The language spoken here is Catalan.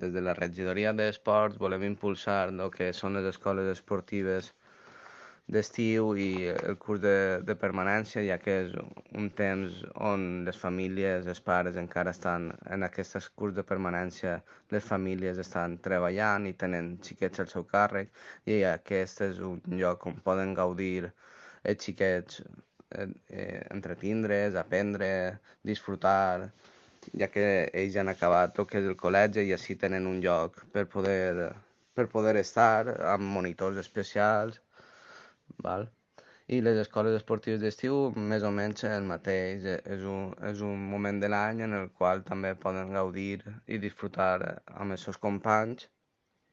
Des de la regidoria d'esports volem impulsar el que són les escoles esportives d'estiu i el curs de permanència, ja que és un temps on les famílies, els pares encara estan en aquest curs de permanència, les famílies estan treballant i tenen xiquets al seu càrrec, i aquest és un lloc on poden gaudir els xiquets, entretindre's, aprendre, disfrutar, ja que ells han acabat el que és el col·legi i així tenen un lloc per poder estar amb monitors especials, val? I les escoles esportives d'estiu més o menys el mateix, és un moment de l'any en el qual també poden gaudir i disfrutar amb els seus companys